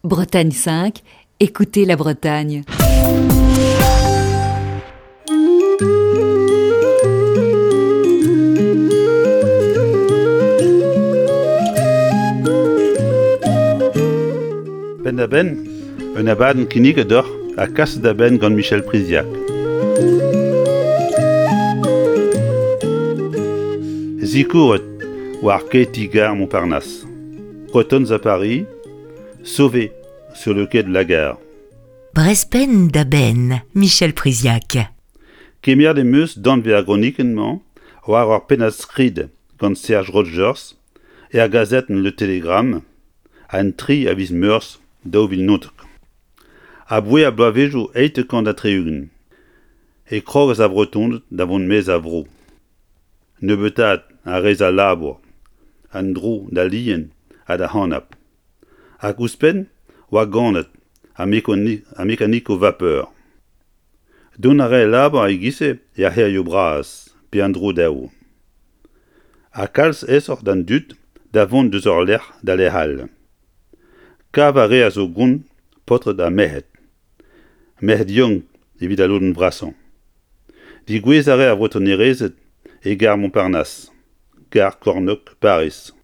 Bretagne 5, écoutez la Bretagne. Penn-da-benn, un abadenn kinniget deoc'h ha kaset da benn gant Michel Priziac. Zikouret war kae ti-gar Montparnasse. Bretons à Paris, sauvé sur le quai de la gare. Brezpenn da benn, Michel Priziac. Kemeret em eus danvez ar gronikenn-mañ war ur pennad-skrid gant Serge Rogers er gazetenn Le Télégramme an 3 a viz Meurzh 2019. Aboae ar bloavezhioù 70 e krogas ar Vretoned da vont maez a vro. Nebeutaat a rez al labour, an dro d'al lien ha d'ar c'hanab. Hag ouzhpenn oa ganet ar mekanikoù vapeur. Dont a rae labour e-giz-se er c'hêrioù bras pe an dro dezho. Ha kalz aesoc'h d'an dud da vont deus ul lec'h da lec'h all. Kav a reas o gont paotred ha merc'hed. Merc'hed yaouank evit al lodenn vrasañ. Degouezh a rae ar vretonerezed e gar Montparnasse, gar kornôg Pariz.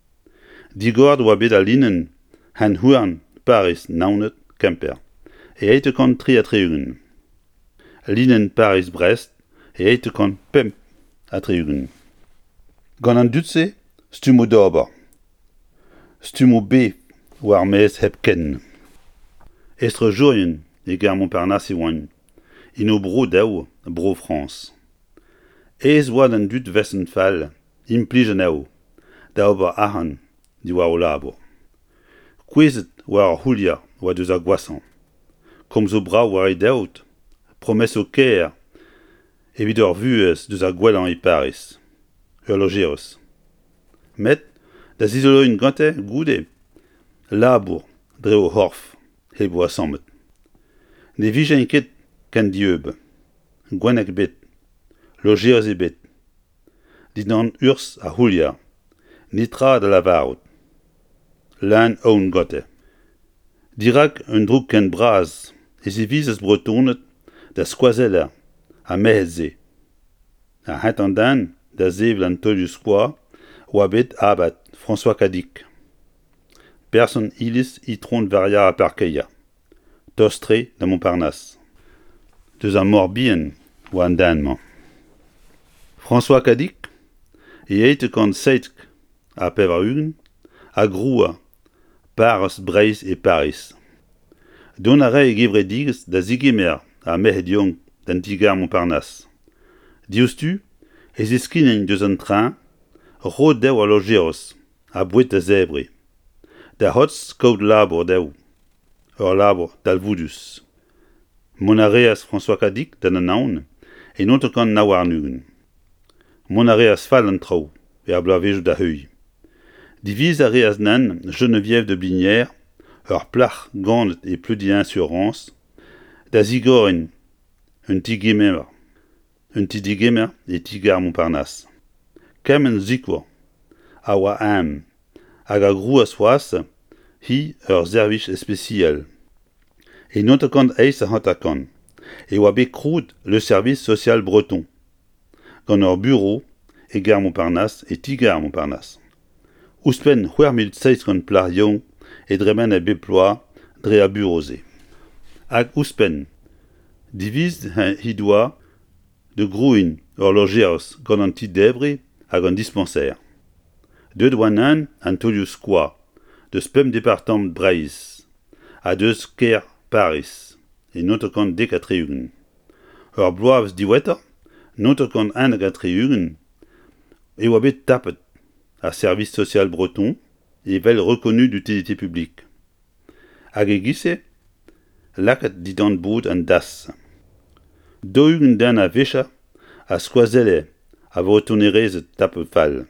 Digoret oa bet al linenn hent-houarn Pariz-Naoned Kemper e 1863. Linenn Pariz-Brest e 1865. Gant an dud-se stummoù d'ober. Stummoù bev war ar maez hepken. Estrejourien e gar Montparnasse e oant, en o bro dezho, Bro-Frañs. Aes oa d'an dud vesenn fall implij anezho da ober arc'hant diwar o labour. Kouezhet war ur c'houlier oa deus ar gwashañ. Komzoù brav war e daoud, promesoù kaer evit ur vuhez deus ar gwellañ e Pariz, ul lojerez. Met da zizoloiñ gante goude labour dre o c'horf hep o asammet. Ne vijent ket ken dieub, gwenneg ebet, lojerez ebet, dindan urzh ar c'houlier, netra da lavarout. Leun aon gante. Dirak un droug ken bras e zivizas Bretoned da skoazellañ ar merc'hed-se. Ar c'hentañ den da sevel an taolioù-skoaz oa bet abad François Cadic, person iliz Itron Varia ar Parkeier, tost-tre da Montparnasse. Deus ar Mor-Bihan oa an den-mañ. François Cadic, e 1897, a groua parrez Breizh e Pariz. Dont a rae e gevredigezh da zegemer ar merc'hed yaouank d'an ti-gar Montparnasse. Diouzhtu e zeskinen deus an treñ roet dezho al lojeroz ha boued da zebriñ. Da c'hortoz kaout labour dezho, ur labour talvoudus. Mont a reas François Cadic d'an Anaon e 1929. Mont a reas fall an traoù er bloavezhioù da heuilh. Diviz a reas nann Geneviève de Blinière, ur plac'h ganet e Pleudihen-sur-Rance, da zigoriñ un ti-gemer un ti-degemer e ti-gar Montparnasse. Kement sikour a oa eñ hag a grouas c'hoazh hi ur servij ispisial. E 1958 e oa bet krouet Le Service social breton gant ur burev e gar Montparnasse e ti-gar Montparnasse. Ouzhpenn 6700 plac'h yaouank e dremene bep bloaz dre ar burev-se. Hag ouzhpenn, divizet he doa da grouiñ ur lojerez gant an ti-debriñ hag an dispañser. Deuet oa neuze an taolioù-skoaz deus pemp departamant Breizh ha deus kêr Pariz e 1970. Ur bloavezh diwezhatoc'h, 1971, e oa bet tapet ar Service social breton evel reconnu d'utilité publique. Hag e-giz-se lakaet dindan bod an DAS. 40 den a-wechoù a skoazelle ar vretonerezed tapet fall,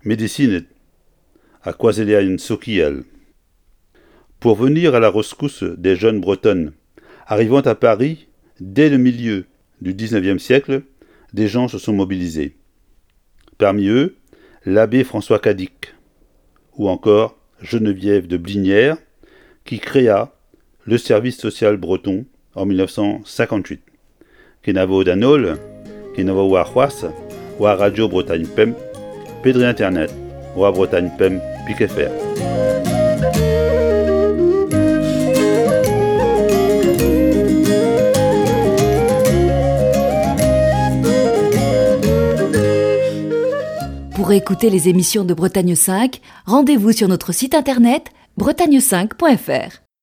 medisined ha skoazellerien sokial. Pour venir à la rescousse des jeunes bretonnes arrivant à Paris dès le milieu du XIXe siècle, des gens se sont mobilisés. Parmi eux, l'abbé François Cadic ou encore Geneviève de Blinière, qui créa le service social breton en 1958. Kenavo d'an holl, kenavo war c'hoazh, war Radio Bretagne Pemp, pe dre internet, war Bretagne Pemp pik FR. Pour écouter les émissions de Bretagne 5, rendez-vous sur notre site internet bretagne5.fr.